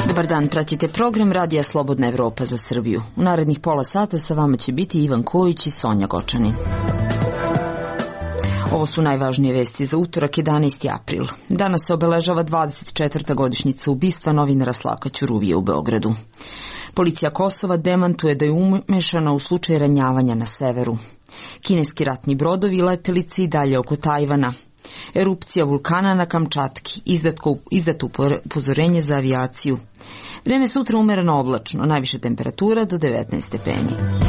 Dobar dan, pratite program Radija Slobodna Evropa za Srbiju. U narednih pola sata sa vama će biti Ivan Kojić i Sonja Gočanin. Ovo su najvažnije vesti za utorak, 11. april. Danas se obeležava 24. godišnjica ubistva novinara Slavka Ćuruvije u Beogradu. Policija Kosova demantuje da je umešana u slučaj ranjavanja na severu. Kineski ratni brodovi letelice i dalje oko Tajvana. Erupcija vulkana na Kamčatki, izdato upozorenje za avijaciju. Vreme sutra umereno oblačno, najviša temperatura do 19 stepeni.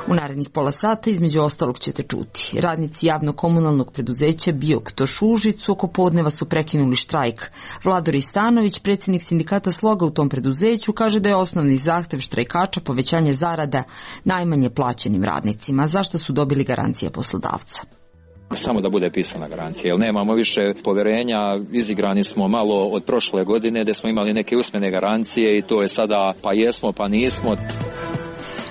U narednih pola sata između ostalog ćete čuti. Radnici javno-komunalnog preduzeća Biok-Toš u Užicu oko podneva su prekinuli štrajk. Vlador Istanović, predsjednik sindikata Sloga u tom preduzeću, kaže da je osnovni zahtev štrajkača povećanje zarada najmanje plaćenim radnicima, zašto su dobili garancije poslodavca. Samo da bude pisana garancija, jer nemamo više poverenja, izigrani smo malo od prošle godine gdje smo imali neke usmene garancije i to je sada pa jesmo pa nismo.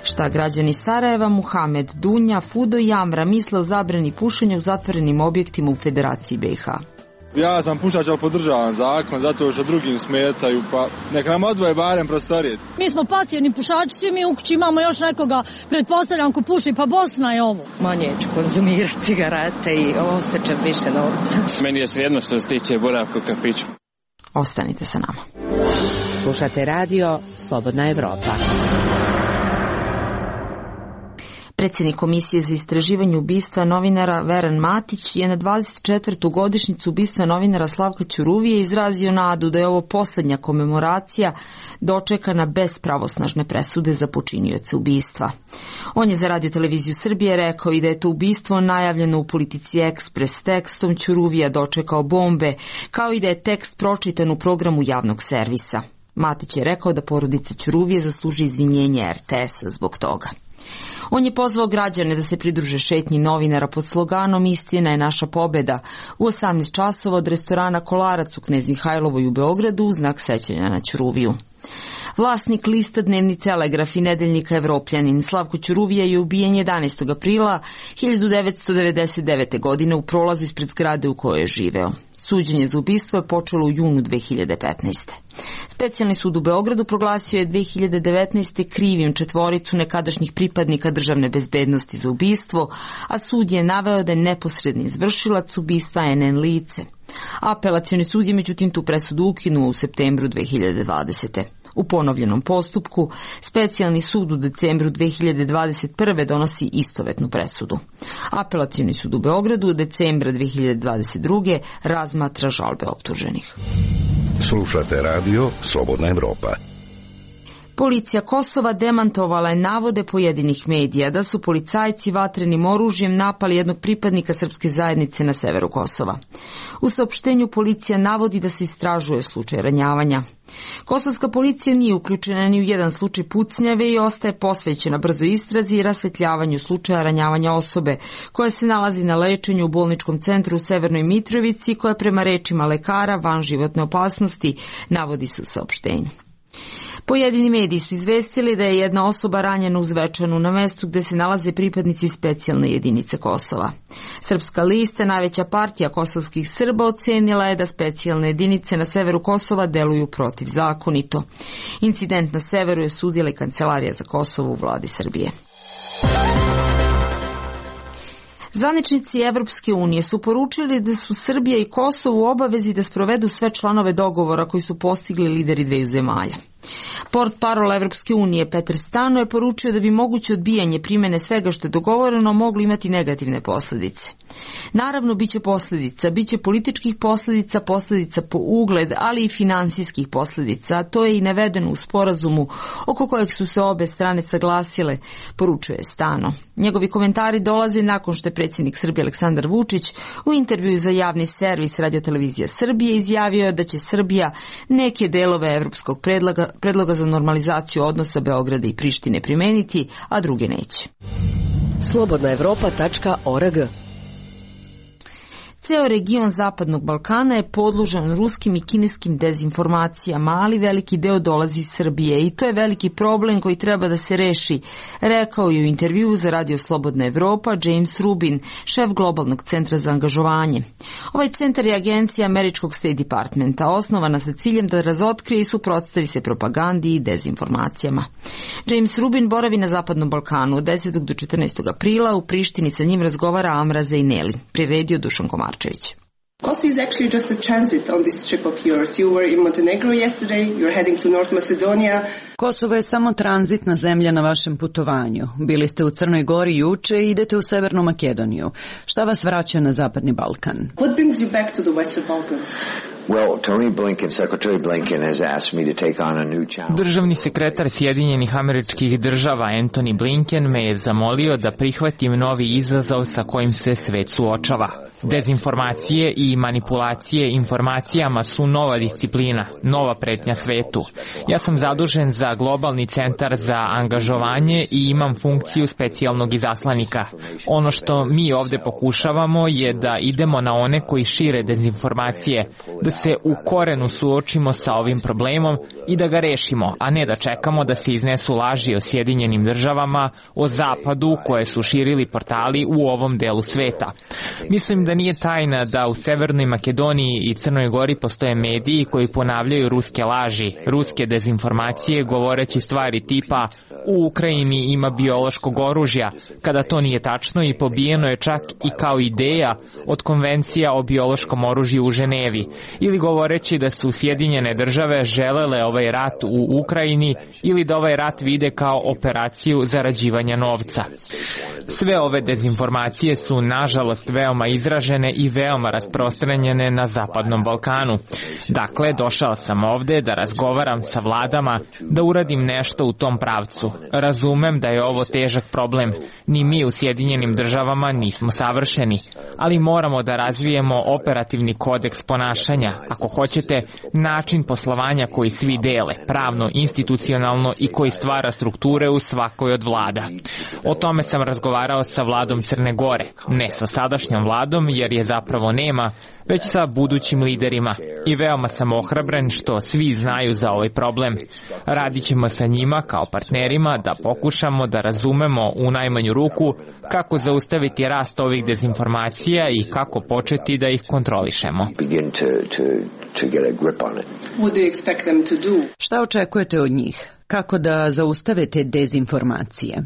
Šta građani Sarajeva, Muhamed Dunja, Fudo i Amra misle o zabrani pušenja u zatvorenim objektima u Federaciji BiH? Ja sam pušač, ali podržavam zakon, zato što drugim smetaju, pa neka nam odvoje barem prostorije. Mi smo pasivni pušači, svi mi u kući imamo još nekoga, pretpostavljam ko puši, pa Bosna je ovo. Manje ću konzumirati cigarete i osjećam više novca. Meni je svejedno što se tiče boravka u kafiću. Ostanite sa nama. Slušate radio Slobodna Evropa. Predsjednik Komisije za istraživanje ubistva novinara Veran Matić je na 24. godišnjicu ubistva novinara Slavka Ćuruvije izrazio nadu da je ovo posljednja komemoracija dočekana bez pravosnažne presude za počinioce ubistva. On je za Radio Televiziju Srbije rekao i da je to ubistvo najavljeno u Politici Ekspres tekstom Ćuruvija dočekao bombe, kao i da je tekst pročitan u programu javnog servisa. Matić je rekao da porodica Ćuruvije zasluži izvinjenje RTS-a zbog toga. On je pozvao građane da se pridruže šetnji novinara pod sloganom Istina je naša pobjeda u 18 časova od restorana Kolarac u Knez Mihajlovoj u Beogradu u znak sećanja na Ćuruviju. Vlasnik lista Dnevni Telegraf i nedeljnika Evropljanin Slavko Ćuruvija je ubijen 11. aprila 1999. godine u prolazu ispred zgrade u kojoj je živeo. Suđenje za ubistvo je počelo u junu 2015. Specijalni sud u Beogradu proglasio je 2019. krivim četvoricu nekadašnjih pripadnika državne bezbednosti za ubistvo, a sud je naveo da je neposredni izvršilac ubistva NN lice. Apelacioni sud je međutim tu presudu ukinuo u septembru 2020. U ponovljenom postupku, specijalni sud u decembru 2021. donosi istovetnu presudu. Apelacioni sud u Beogradu u decembra 2022. razmatra žalbe optuženih. Slušate radio Slobodna Evropa. Policija Kosova demantovala je navode pojedinih medija da su policajci vatrenim oružjem napali jednog pripadnika srpske zajednice na severu Kosova. U saopštenju policija navodi da se istražuje slučaj ranjavanja. Kosovska policija nije uključena ni u jedan slučaj pucnjave i ostaje posvećena brzoj istrazi i rasvetljavanju slučaja ranjavanja osobe koja se nalazi na lečenju u bolničkom centru u Severnoj Mitrovici, koja prema rečima lekara van životne opasnosti, navodi se u saopštenju. Pojedini mediji su izvestili da je jedna osoba ranjena u Zvečanu na mestu gde se nalaze pripadnici specijalne jedinice Kosova. Srpska lista, najveća partija kosovskih Srba, ocenila je da specijalne jedinice na severu Kosova deluju protivzakonito. Incident na severu je sudila i Kancelarija za Kosovo u vladi Srbije. Zvaničnici Evropske unije su poručili da su Srbija i Kosovo u obavezi da sprovedu sve članove dogovora koji su postigli lideri dveju zemalja. Portparol Evropske unije Petar Stano je poručio da bi moguće odbijanje primjene svega što je dogovoreno moglo imati negativne posljedice. Naravno, biće posljedica, biće političkih posljedica, posljedica po ugled, ali i finansijskih posljedica, a to je i navedeno u sporazumu oko kojeg su se obe strane saglasile, poručuje Stano. Njegovi komentari dolaze nakon što je predsjednik Srbije Aleksandar Vučić u intervjuu za javni servis Radio Televizija Srbije izjavio da će Srbija neke delove evropskog predloga za normalizaciju odnosa Beograda i Prištine primeniti, a druge neće. Slobodnaevropa.org. Ceo region Zapadnog Balkana je podložan ruskim i kineskim dezinformacijama, ali veliki deo dolazi iz Srbije i to je veliki problem koji treba da se reši, rekao je u intervjuu za Radio Slobodna Evropa James Rubin, šef globalnog centra za angažovanje. Ovaj centar je agencija američkog State Departmenta, osnovana sa ciljem da razotkrije i suprotstavi se propagandi i dezinformacijama. James Rubin boravi na Zapadnom Balkanu od 10. do 14. aprila, u Prištini sa njim razgovara Amra Zejneli, priredio Dušan Komarčević. Kosovo is actually just a transit on this trip of yours. You were in Montenegro yesterday, you're heading to North Macedonia. Kosovo je samo tranzitna zemlja na vašem putovanju. Bili ste u Crnoj Gori juče i idete u Severnu Makedoniju. Šta vas vraća na Zapadni Balkan? What brings you back to the Western Balkans? Well, Tony Blinken, Secretary Blinken has asked me to take on a new challenge. Državni sekretar Sjedinjenih Američkih Država Antony Blinken me je zamolio da prihvatim novi izazov sa kojim se svet suočava. Dezinformacije i manipulacije informacijama su nova disciplina, nova pretnja svetu. Ja sam zadužen za globalni centar za angažovanje i imam funkciju specijalnog izaslanika. Ono što mi ovde pokušavamo je da idemo na one koji šire dezinformacije, da se u korenu suočimo sa ovim problemom i da ga rešimo, a ne da čekamo da se iznesu laži o Sjedinjenim Državama, o Zapadu koje su širili portali u ovom delu sveta. Mislim da nije tajna da u Severnoj Makedoniji i Crnoj Gori postoje mediji koji ponavljaju ruske laži, ruske dezinformacije govoreći stvari tipa u Ukrajini ima biološkog oružja, kada to nije tačno i pobijeno je čak i kao ideja od konvencija o biološkom oružju u Ženevi, ili govoreći da su Sjedinjene Države želele ovaj rat u Ukrajini ili da ovaj rat vide kao operaciju zarađivanja novca. Sve ove dezinformacije su nažalost veoma izražene i veoma rasprostranjene na Zapadnom Balkanu. Dakle, došao sam ovde da razgovaram sa vladama, da uradim nešto u tom pravcu. Razumem da je ovo težak problem. Ni mi u Sjedinjenim Državama nismo savršeni, ali moramo da razvijemo operativni kodeks ponašanja, ako hoćete, način poslovanja koji svi dele, pravno, institucionalno i koji stvara strukture u svakoj od vlada. O tome sam razgovarao sa vladom Crne Gore, ne sa sadašnjom vladom jer je zapravo nema, već sa budućim liderima i veoma sam ohrabren što svi znaju za ovaj problem. Radit ćemo sa njima kao partnerima da pokušamo da razumemo u najmanju ruku kako zaustaviti rast ovih dezinformacija i kako početi da ih kontrolišemo. Šta očekujete od njih? Kako da zaustave te dezinformacije?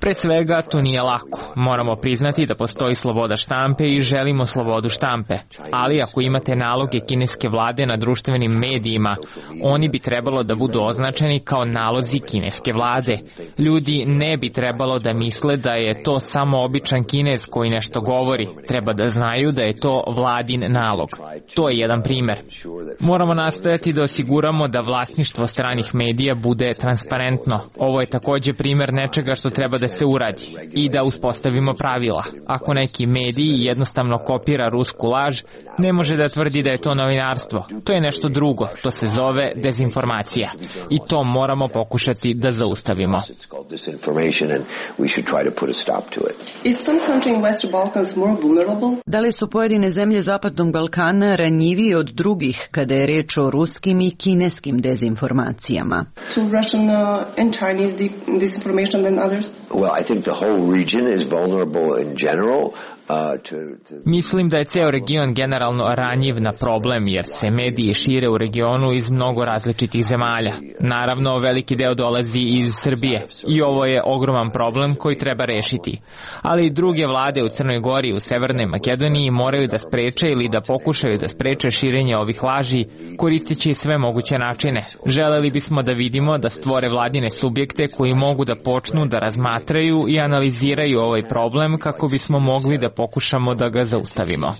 Pre svega, to nije lako. Moramo priznati da postoji sloboda štampe i želimo slobodu štampe. Ali ako imate naloge kineske vlade na društvenim medijima, oni bi trebalo da budu označeni kao nalozi kineske vlade. Ljudi ne bi trebalo da misle da je to samo običan Kinez koji nešto govori. Treba da znaju da je to vladin nalog. To je jedan primer. Moramo nastojati da osiguramo da vlasništvo stranih medija bude transparentno. Ovo je takođe primer nečega što treba da se uradi i da uspostavimo pravila. Ako neki medij jednostavno kopira rusku laž, ne može da tvrdi da je to novinarstvo. To je nešto drugo. To se zove dezinformacija. I to moramo pokušati da zaustavimo. Da li su pojedine zemlje Zapadnog Balkana ranjiviji od drugih kada je reč o ruskim i kineskim dezinformacijama? Well, I think the whole region is vulnerable in general. Mislim da je ceo region generalno ranjiv na problem jer se mediji šire u regionu iz mnogo različitih zemalja. Naravno, veliki deo dolazi iz Srbije i ovo je ogroman problem koji treba rešiti. Ali druge vlade u Crnoj Gori i u Severnoj Makedoniji moraju da spreče ili da pokušaju da spreče širenje ovih laži koristeći sve moguće načine. Želeli bismo da vidimo da stvore vladine subjekte koji mogu da počnu da razmatraju i analiziraju ovaj problem kako bismo mogli da pokušamo da ga zaustavimo.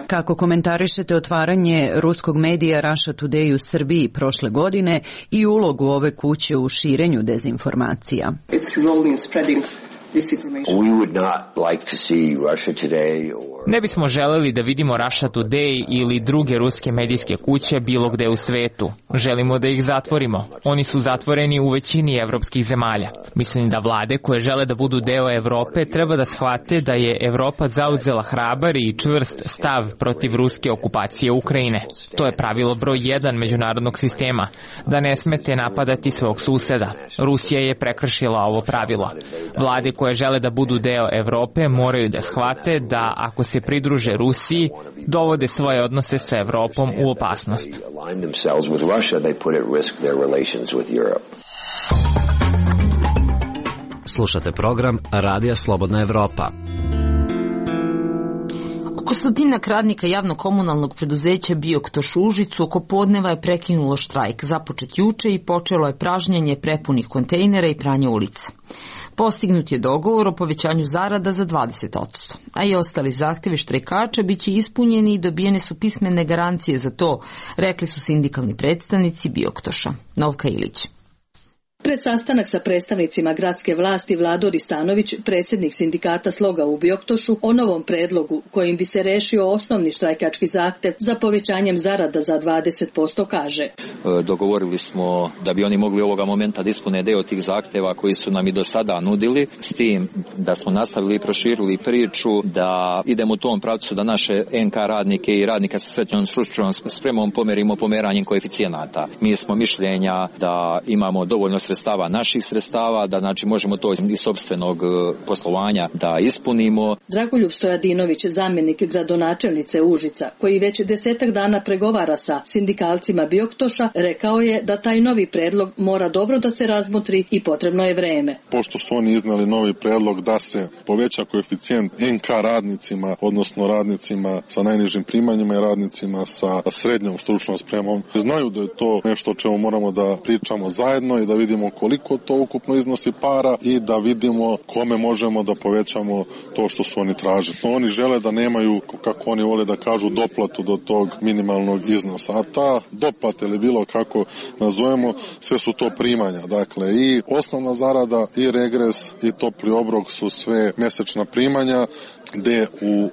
Kako komentarišete otvaranje ruskog medija Russia Today u Srbiji prošle godine i ulogu ove kuće u širenju dezinformacija? We would not like to see Russia Today or Ne bismo želeli da vidimo Russia Today ili druge ruske medijske kuće bilo gde u svetu. Želimo da ih zatvorimo. Oni su zatvoreni u većini evropskih zemalja. Mislim da vlade koje žele da budu deo Evrope treba da shvate da je Evropa zauzela hrabar i čvrst stav protiv ruske okupacije Ukrajine. To je pravilo broj 1 međunarodnog sistema, da ne smete napadati svog suseda. Rusija je prekršila ovo pravilo. Vlade koje žele da budu deo Evrope moraju da shvate da ako se pridruže Rusiji, dovode svoje odnose sa Evropom u opasnost. Slušate program Radija Slobodna Evropa. Oko stotinak radnika javno-komunalnog preduzeća Bioktoš u Užicu oko podneva je prekinulo štrajk, započet juče i počelo je pražnjenje prepunih kontejnera i pranje ulica. Postignut je dogovor o povećanju zarada za 20%, a i ostali zahtevi štrajkača biće ispunjeni i dobijene su pismene garancije za to, rekli su sindikalni predstavnici Bioktoša. Novka Ilić. Pred sastanak sa predstavnicima gradske vlasti Vlado Ristanović, predsjednik sindikata Sloga u Bioktošu, o novom predlogu kojim bi se rešio osnovni štrajkački zahtev za povećanjem zarada za 20% kaže. Dogovorili smo da bi oni mogli ovoga momenta da ispune deo tih zahteva koji su nam i do sada nudili, s tim da smo nastavili i proširili priču da idemo u tom pravcu da naše NK radnike i radnika sa srednjom stručnom spremom pomerimo pomeranjem koeficijenata. Mi smo mišljenja da imamo dovoljno sredstava, naših sredstava, da znači možemo to iz sopstvenog poslovanja da ispunimo. Dragoljub Stojadinović, zamjenik gradonačelnice Užica, koji već 10 dana pregovara sa sindikalcima Bioktoša, rekao je da taj novi predlog mora dobro da se razmotri i potrebno je vreme. Pošto su oni iznali novi predlog da se poveća koeficijent NK radnicima, odnosno radnicima sa najnižim primanjima i radnicima sa srednjom stručnom spremom, znaju da je to nešto o čemu moramo da pričamo zajedno i da vidimo koliko to ukupno iznosi para i da vidimo kome možemo da povećamo to što su oni tražili. Oni žele da nemaju, kako oni vole da kažu, doplatu do tog minimalnog iznosa. A ta doplata ili bilo kako nazovemo, sve su to primanja. Dakle, i osnovna zarada, i regres, i topli obrok su sve mesečna primanja, gde u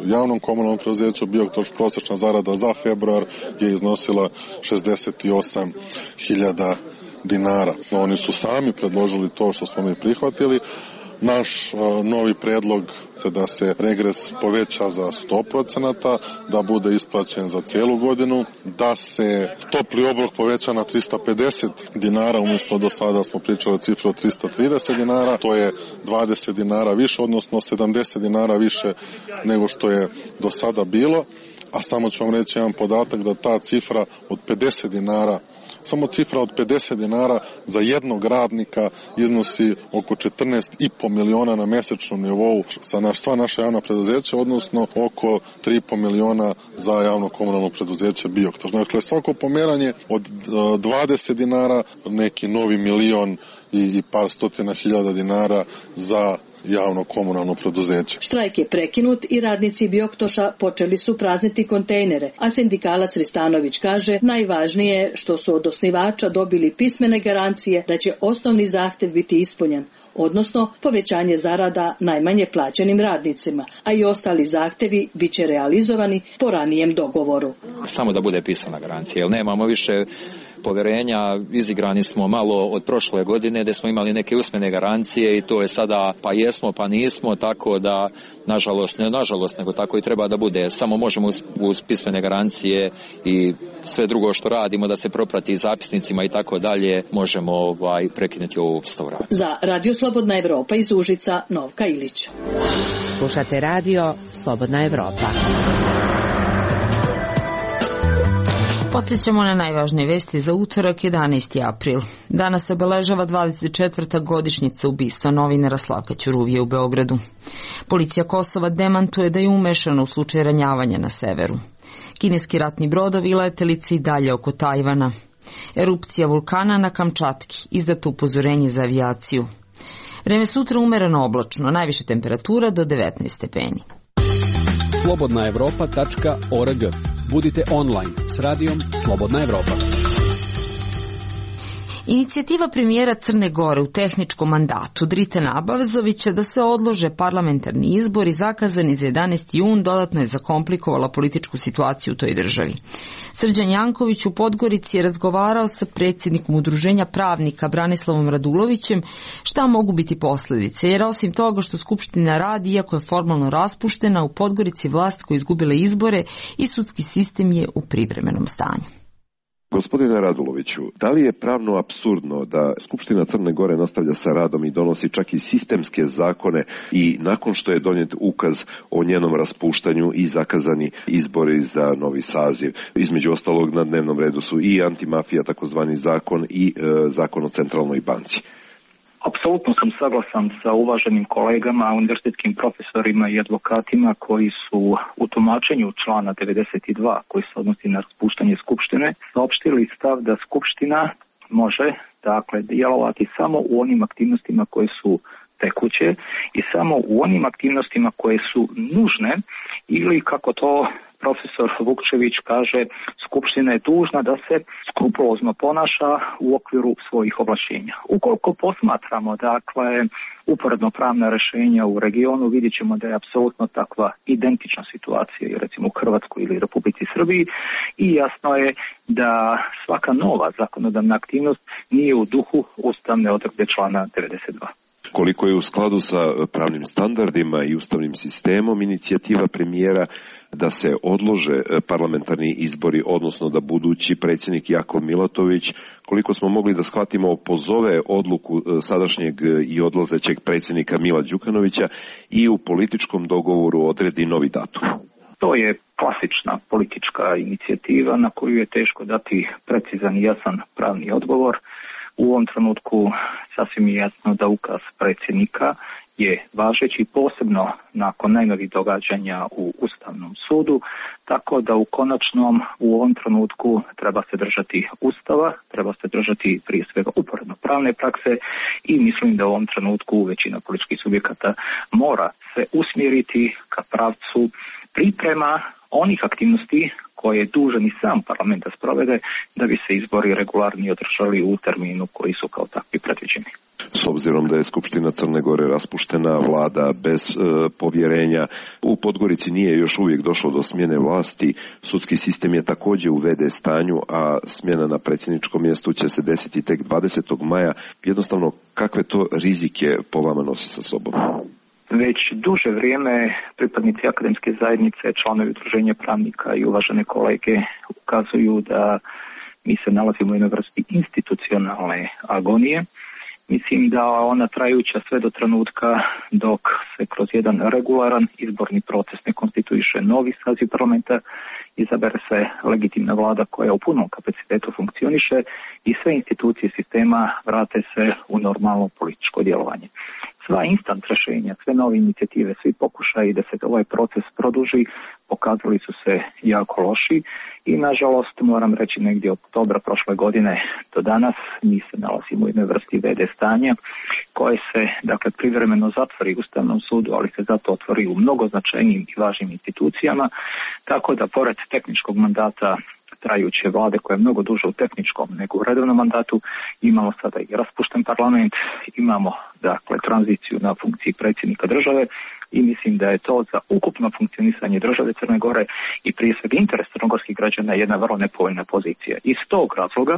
javnom komunalnom preduzeću Bioktoš prosječna zarada za februar je iznosila 68.000 dinara. Oni su sami predložili to što smo mi prihvatili. Naš novi predlog je da se regres poveća za 100%, da bude isplaćen za celu godinu, da se topli obrok poveća na 350 dinara, umjesto do sada smo pričali o cifru od 330 dinara, to je 20 dinara više, odnosno 70 dinara više nego što je do sada bilo, a samo ću vam reći jedan podatak da ta cifra od 50 dinara, samo cifra od 50 dinara za jednog radnika iznosi oko 14,5 miliona na mesečnom nivou za sva naša javna preduzeća, odnosno oko 3,5 miliona za javno komunalno preduzeće Bioktoš. Dakle, svako pomeranje od 20 dinara, neki novi milion i par stotina hiljada dinara za javno komunalno preduzeće. Štrajk je prekinut i radnici Bioktoša počeli su prazniti kontejnere, a sindikalac Ristanović kaže najvažnije je što su od osnivača dobili pismene garancije da će osnovni zahtev biti ispunjen, odnosno povećanje zarada najmanje plaćenim radnicima, a i ostali zahtevi bit će realizovani po ranijem dogovoru. Samo da bude pisana garancija, jer nemamo više poverenja, izigrani smo malo od prošle godine gdje smo imali neke usmene garancije i to je sada pa jesmo pa nismo, tako da nažalost nego tako i treba da bude. Samo možemo uz pismene garancije i sve drugo što radimo da se proprati zapisnicima i tako dalje možemo prekinuti ovu vrstu rada. Za Radio Slobodna Evropa iz Užica, Novka Ilić. Slušate Radio Slobodna Evropa. Podsjećamo na najvažnije vesti za utorak 11. april. Danas se obeležava 24. godišnjica ubistva novinara Slavka Ćuruvije u Beogradu. Policija Kosova demantuje da je umešana u slučaj ranjavanja na severu. Kineski ratni brodovi i letelice i dalje oko Tajvana. Erupcija vulkana na Kamčatki, izdato upozorenje za avijaciju. Vreme sutra umereno oblačno, najviše temperatura do 19 stepeni. slobodnaevropa.org. Budite online s radijom Slobodna Evropa. Inicijativa premijera Crne Gore u tehničkom mandatu Dritana Abazovića da se odlože parlamentarni izbori zakazani za 11. jun dodatno je zakomplikovala političku situaciju u toj državi. Srđan Janković u Podgorici je razgovarao sa predsjednikom Udruženja pravnika Branislavom Radulovićem šta mogu biti posljedice, jer osim toga što Skupština radi, iako je formalno raspuštena, u Podgorici vlast koja je izgubila izbore i sudski sistem je u privremenom stanju. Gospodine Raduloviću, da li je pravno apsurdno da Skupština Crne Gore nastavlja sa radom i donosi čak i sistemske zakone i nakon što je donijet ukaz o njenom raspuštanju i zakazani izbori za novi saziv? Između ostalog na dnevnom redu su i antimafija, takozvani zakon, i zakon o centralnoj banci. Apsolutno sam saglasan sa uvaženim kolegama, univerzitetskim profesorima i advokatima koji su u tumačenju člana 92 koji se odnosi na raspuštanje Skupštine saopštili stav da Skupština može djelovati samo u onim aktivnostima koje su tekuće i samo u onim aktivnostima koje su nužne ili kako to profesor Vukčević kaže, Skupština je dužna da se skrupulozno ponaša u okviru svojih ovlašćenja. Ukoliko posmatramo uporedno pravna rješenja u regionu, vidjet ćemo da je apsolutno takva identična situacija i recimo u Hrvatskoj ili Republici Srbiji i jasno je da svaka nova zakonodavna aktivnost nije u duhu ustavne odredbe člana 92. Koliko je u skladu sa pravnim standardima i ustavnim sistemom inicijativa premijera da se odlože parlamentarni izbori, odnosno da budući predsjednik Jakov Milatović, koliko smo mogli da shvatimo, pozove odluku sadašnjeg i odlazećeg predsjednika Mila Đukanovića i u političkom dogovoru odredi novi datum? To je klasična politička inicijativa na koju je teško dati precizan i jasan pravni odgovor. U ovom trenutku sasvim je jasno da ukaz predsjednika je važeći posebno nakon najnovih događanja u Ustavnom sudu, tako da u konačnom u ovom trenutku treba se držati Ustava, treba se držati prije svega uporedno pravne prakse i mislim da u ovom trenutku većina političkih subjekata mora se usmjeriti ka pravcu priprema onih aktivnosti koje je dužan i sam parlament da sprovede da bi se izbori regularni održali u terminu koji su kao takvi predviđeni. S obzirom da je Skupština Crne Gore raspuštena, vlada bez povjerenja, u Podgorici nije još uvijek došlo do smjene vlasti, sudski sistem je također u VD stanju, a smjena na predsjedničkom mjestu će se desiti tek 20. maja. Jednostavno, kakve to rizike po vama nosi sa sobom? Već duže vrijeme pripadnici akademske zajednice, članovi udruženja pravnika i uvažene kolege ukazuju da mi se nalazimo u jednoj vrsti institucionalne agonije. Mislim da ona trajuća sve do trenutka dok se kroz jedan regularan izborni proces ne konstituiše novi saziv parlamenta, izabere se legitimna vlada koja u punom kapacitetu funkcioniše i sve institucije sistema vrate se u normalno političko djelovanje. Sva instant rješenja, sve nove inicijative, svi pokušaji da se ovaj proces produži pokazali su se jako loši i nažalost moram reći negdje od oktobra prošle godine do danas mi se nalazimo u jednoj vrsti VD stanja koje se privremeno zatvori u Ustavnom sudu, ali se zato otvori u mnogo značajnijim i važnim institucijama, tako da pored tehničkog mandata trajuće vlade koja je mnogo duže u tehničkom nego u redovnom mandatu, imamo sada i raspušten parlament, imamo tranziciju na funkciji predsjednika države i mislim da je to za ukupno funkcionisanje države Crne Gore i prije svega interes crnogorskih građana jedna vrlo nepovoljna pozicija. Iz tog razloga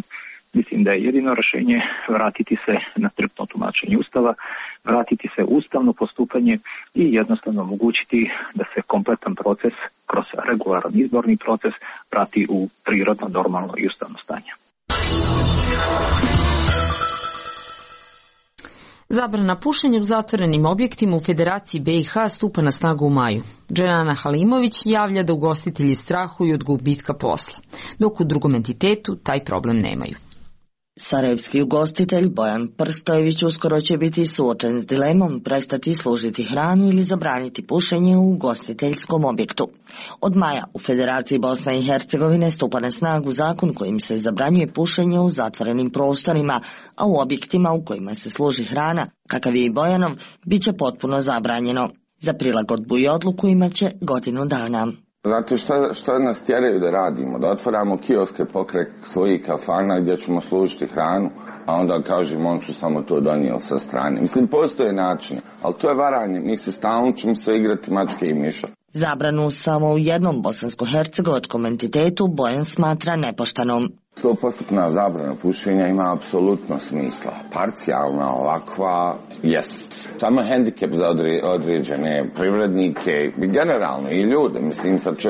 mislim da je jedino rješenje vratiti se na striktno tumačenje Ustava, vratiti se u ustavno postupanje i jednostavno omogućiti da se kompletan proces kroz regularan izborni proces vrati u prirodno, normalno i ustavno stanje. Zabrana pušenja u zatvorenim objektima u Federaciji BiH stupa na snagu u maju. Dženana Halimović javlja da ugostitelji strahuju od gubitka posla, dok u drugom entitetu taj problem nemaju. Sarajevski ugostitelj Bojan Prstojević uskoro će biti suočen s dilemom prestati služiti hranu ili zabraniti pušenje u ugostiteljskom objektu. Od maja u Federaciji Bosne i Hercegovine stupa na snagu zakon kojim se zabranjuje pušenje u zatvorenim prostorima, a u objektima u kojima se služi hrana, kakav je i Bojanov, bit će potpuno zabranjeno. Za prilagodbu i odluku imat će godinu dana. Zato što nas tjeraju da radimo, da otvaramo kioske pokraj svojih kafana gdje ćemo služiti hranu, a onda kažemo on su samo to donijeli sa strane. Mislim, postoje načine, ali to je varanje. Mi se stalno ćemo se igrati mačke i miša. Zabranu samo u jednom bosansko-hercegovačkom entitetu Bojan smatra nepoštenom. 100% zabrana pušenja ima apsolutno smisla. Parcijalna, ovakva, jest. Samo hendikep za određene privrednike i generalno i ljude. Mislim, sad će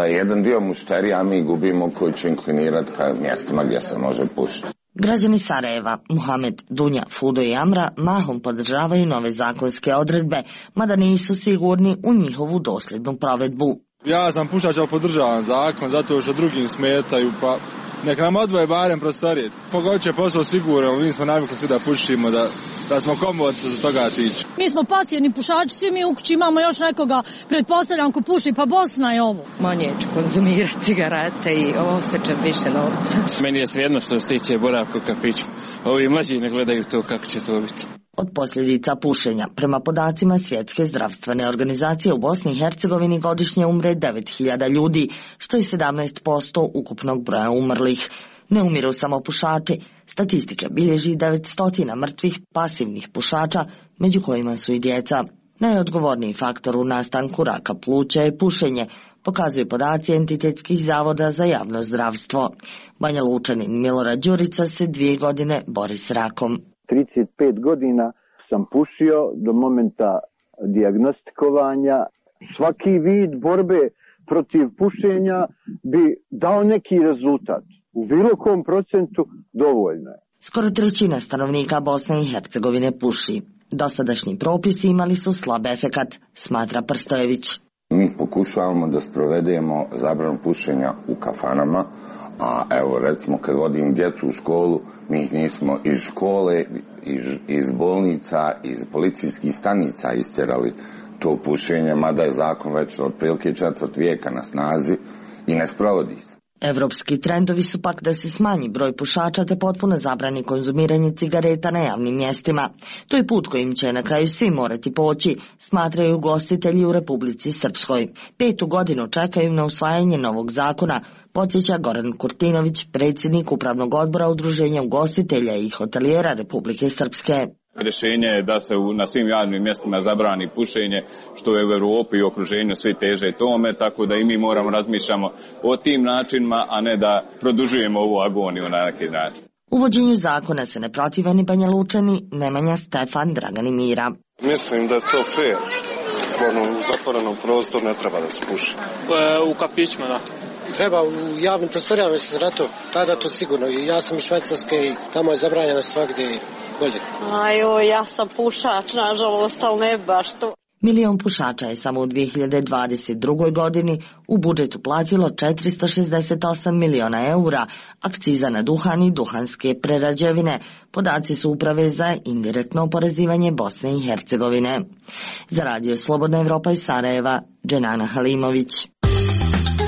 jedan dio mušterija mi gubimo koji će inklinirati ka mjestima gdje se može pušiti. Građani Sarajeva, Muhamed, Dunja, Fudo i Amra mahom podržavaju nove zakonske odredbe, mada nisu sigurni u njihovu dosljednu provedbu. Ja sam pušač, ali podržavam zakon zato što drugim smetaju, pa nek nam odvoje barem prostorije. Pogod će posao sigurno, mi smo navikli svi da pušimo, da smo komodni za toga tiče. Mi smo pasivni pušači, svi mi u kući imamo još nekoga, pretpostavljam ko puši, pa Bosna je ovo. Manje ću konzumirati cigarete i osjećam više novca. Meni je svejedno što se tiče boravka u kafiću. Ovi mlađi ne gledaju to kako će to biti. Od posljedica pušenja, prema podacima Svjetske zdravstvene organizacije, u Bosni i Hercegovini godišnje umre 9.000 ljudi, što je 17% ukupnog broja umrlih. Ne umiru samo pušači. Statistika bilježi 900 mrtvih pasivnih pušača, među kojima su i djeca. Najodgovorniji faktor u nastanku raka pluća je pušenje, pokazuju podaci entitetskih zavoda za javno zdravstvo. Banja Lučanin Milorad Đurica se 2 godine bori s rakom. 35 godina sam pušio do momenta dijagnostikovanja. Svaki vid borbe protiv pušenja bi dao neki rezultat. U bilo kom procentu dovoljno je. Skoro 1/3 stanovnika Bosne i Hercegovine puši. Dosadašnji propisi imali su slab efekat, smatra Prstojević. Mi pokušavamo da sprovedemo zabranu pušenja u kafanama, a evo recimo kad vodim djecu u školu, mi ih nismo iz škole, iz bolnica, iz policijskih stanica istjerali to pušenje, mada je zakon već otprilike 4. vijeka na snazi i ne sprovodi se. Evropski trendovi su pak da se smanji broj pušača te potpuno zabrani konzumiranje cigareta na javnim mjestima. To je put kojim će na kraju svi morati poći, smatraju ugostitelji u Republici Srpskoj. 5. godinu čekaju na usvajanje novog zakona, podsjeća Goran Kurtinović, predsjednik Upravnog odbora Udruženja ugostitelja i hotelijera Republike Srpske. Rješenje je da se na svim javnim mjestima zabrani pušenje, što je u Europi i okruženju svi teže tome, tako da i mi moramo razmišljamo o tim načinima, a ne da produžujemo ovu agoniju na neki način. Uvođenju zakona se ne protive ni Banja Lučani, Nemanja, Stefan, Dragan i Mira. Mislim da je to fair. U zatvorenom prostoru ne treba da se puši. U kafićima, da. Treba u javnim prostorijama, mislim, na to, tada to sigurno. Ja sam iz Švajcarske i tamo je zabranjeno svakdje bolje. Ja sam pušač, nažalost, ali ne baš to. 1 milion pušača je samo u 2022. godini u budžetu platilo 468 miliona eura, akciza na duhan i duhanske prerađevine. Podaci su Uprave za indirektno oporezivanje Bosne i Hercegovine. Za Radio Slobodna Evropa iz Sarajeva, Dženana Halimović.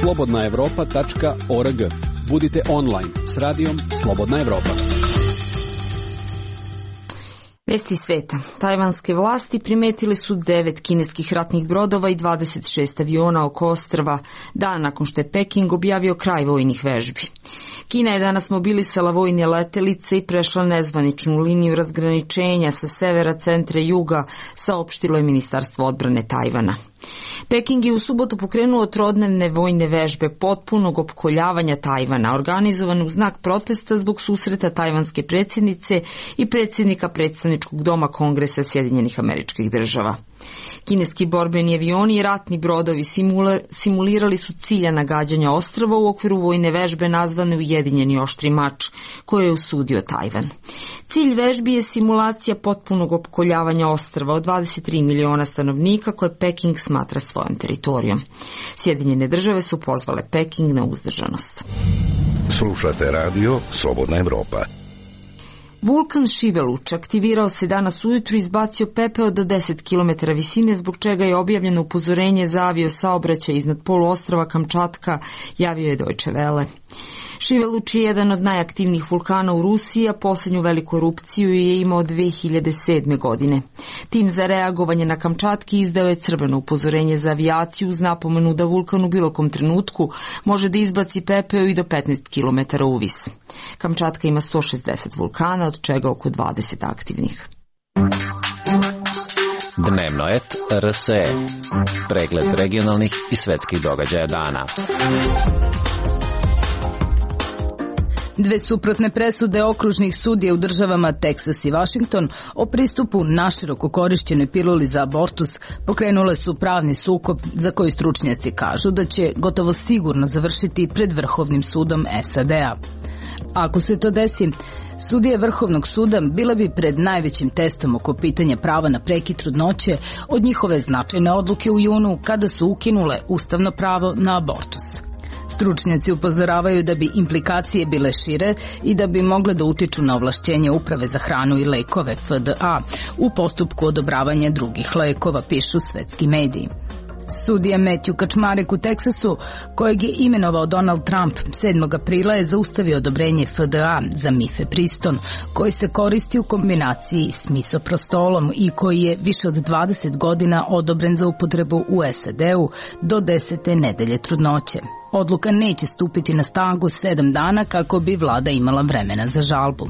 slobodnaevropa.org. Budite online s radijom Slobodna Evropa. Vesti sveta. Tajvanske vlasti primetili su 9 kineskih ratnih brodova i 26 aviona oko ostrva, dan nakon što je Peking objavio kraj vojnih vežbi. Kina je danas mobilisala vojne letelice i prešla nezvaničnu liniju razgraničenja sa severa, centra i juga, saopštilo je Ministarstvo odbrane Tajvana. Peking je u subotu pokrenuo trodnevne vojne vežbe potpunog opkoljavanja Tajvana, organizovan u znak protesta zbog susreta tajvanske predsjednice i predsjednika predstavničkog doma Kongresa Sjedinjenih Američkih Država. Kineski borbeni avioni i ratni brodovi simulirali su ciljana gađanja ostrva u okviru vojne vežbe nazvane Ujedinjeni oštri mač, koje je osudio Tajvan. Cilj vežbi je simulacija potpunog opkoljavanja ostrva od 23 miliona stanovnika koje Peking smatra svojom teritorijom. Sjedinjene države su pozvale Peking na uzdržanost. Slušate radio Slobodna Evropa. Vulkan Šiveluč aktivirao se danas ujutru i izbacio pepeo do 10 km visine, zbog čega je objavljeno upozorenje za avio saobraćaj iznad poluostrva Kamčatka, javio je Deutsche Welle. Šiveluč je jedan od najaktivnijih vulkana u Rusiji, a posljednju veliku erupciju je imao 2007. godine. Tim za reagovanje na Kamčatki izdao je crveno upozorenje za avijaciju uz napomenu da vulkan u bilo kom trenutku može da izbaci pepeo i do 15 km uvis. Kamčatka ima 160 vulkana, od čega oko 20 aktivnih. Dnevnoet RSE. Pregled regionalnih i svetskih događaja dana. Dve suprotne presude okružnih sudija u državama Teksas i Vašington o pristupu naširoko korišćenoj piluli za abortus pokrenule su pravni sukob za koji stručnjaci kažu da će gotovo sigurno završiti pred Vrhovnim sudom SAD-a. Ako se to desi, sudije Vrhovnog suda bile bi pred najvećim testom oko pitanja prava na prekid trudnoće od njihove značajne odluke u junu kada su ukinule ustavno pravo na abortus. Stručnjaci upozoravaju da bi implikacije bile šire i da bi mogle da utiču na ovlašćenje Uprave za hranu i lekove FDA u postupku odobravanja drugih lekova, pišu svetski mediji. Sudija Matthew Kaczmarek u Teksasu, kojeg je imenovao Donald Trump 7. aprila, je zaustavio odobrenje FDA za mifepriston, koji se koristi u kombinaciji s misoprostolom i koji je više od 20 godina odobren za upotrebu u SAD-u do 10. nedelje trudnoće. Odluka neće stupiti na snagu 7 dana kako bi vlada imala vremena za žalbu.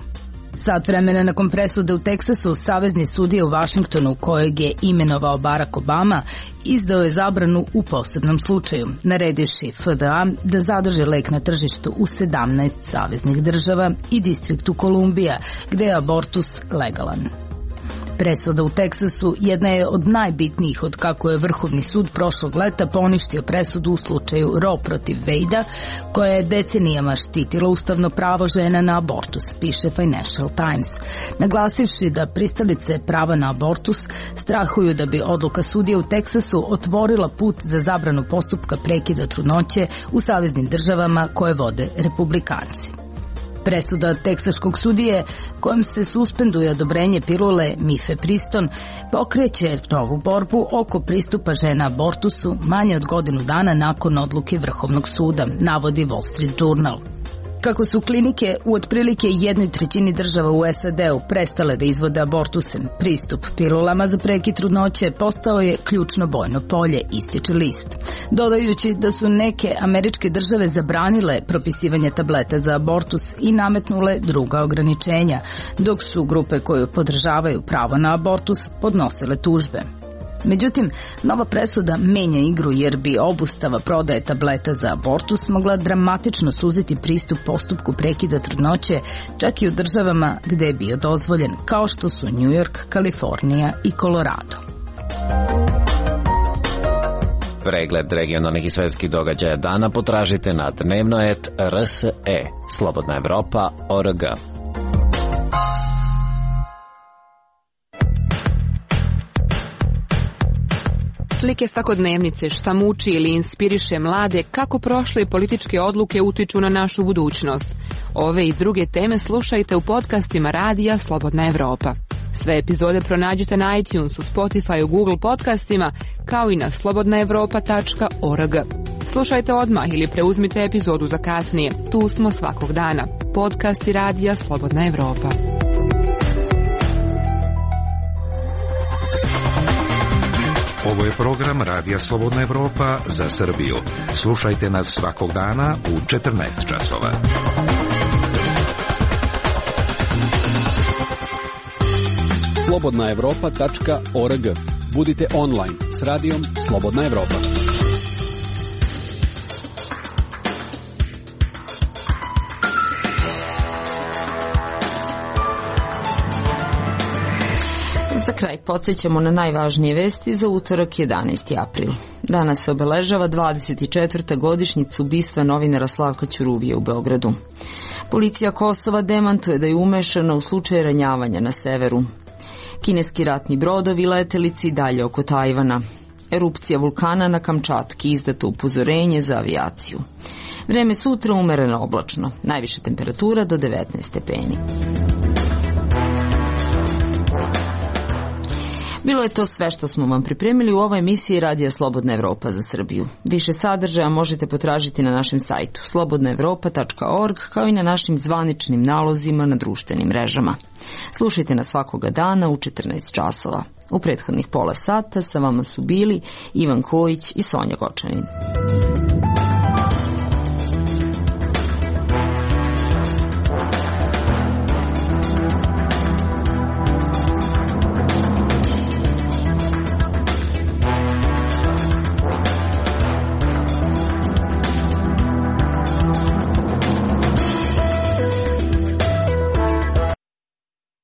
Sat vremena nakon presude u Teksasu, savezni sudija u Vašingtonu, kojeg je imenovao Barack Obama, izdao je zabranu u posebnom slučaju, naredivši FDA da zadrže lek na tržištu u 17 saveznih država i distriktu Kolumbija, gde je abortus legalan. Presuda u Teksasu jedna je od najbitnijih od kako je Vrhovni sud prošlog leta poništio presudu u slučaju Roe protiv Wade-a, koja je decenijama štitila ustavno pravo žena na abortus, piše Financial Times, naglasivši da pristalice prava na abortus strahuju da bi odluka sudije u Teksasu otvorila put za zabranu postupka prekida trudnoće u saveznim državama koje vode republikanci. Presuda teksaškog sudije, kojom se suspenduje odobrenje pilule mifepriston, pokreće novu borbu oko pristupa žena abortusu manje od godinu dana nakon odluke Vrhovnog suda, navodi Wall Street Journal. Kako su klinike u otprilike 1/3 država u SAD-u prestale da izvode abortuse, pristup pilulama za prekid trudnoće postao je ključno bojno polje, ističe list. Dodajući da su neke američke države zabranile propisivanje tableta za abortus i nametnule druga ograničenja, dok su grupe koje podržavaju pravo na abortus podnosile tužbe. Međutim, nova presuda menja igru jer bi obustava prodaje tableta za abortus mogla dramatično suziti pristup postupku prekida trudnoće čak i u državama gde je bio dozvoljen, kao što su New York, Kalifornija i Colorado. Pregled regionalnih i svetskih događaja dana potražite na Dnevnoet RSE, Slobodna Evropa.org. Slike svakodnevnice, šta muči ili inspiriše mlade, kako prošle političke odluke utiču na našu budućnost. Ove i druge teme slušajte u podcastima radija Slobodna Evropa. Sve epizode pronađite na iTunesu, Spotifyu, Google podcastima, kao i na slobodnaevropa.org. Slušajte odmah ili preuzmite epizodu za kasnije. Tu smo svakog dana. Podcasti radija Slobodna Evropa. Ovo je program Radija Slobodna Evropa za Srbiju. Slušajte nas svakog dana u 14 časova. slobodnaevropa.org. Budite online s radijom Slobodna Evropa. Za kraj podsjećamo na najvažnije vesti za utorak 11. april. Danas se obeležava 24. godišnjica ubistva novinara Slavka Ćuruvije u Beogradu. Policija Kosova demantuje da je umešana u slučaj ranjavanja na severu. Kineski ratni brodovi letelici dalje oko Tajvana. Erupcija vulkana na Kamčatki, izdato upozorenje za avijaciju. Vreme sutra umereno oblačno, najviša temperatura do 19 stepeni. Bilo je to sve što smo vam pripremili u ovoj emisiji Radija Slobodna Evropa za Srbiju. Više sadržaja možete potražiti na našem sajtu slobodnaevropa.org, kao i na našim zvaničnim nalozima na društvenim mrežama. Slušajte nas svakoga dana u 14 časova. U prethodnih pola sata sa vama su bili Ivan Kojić i Sonja Gočanin.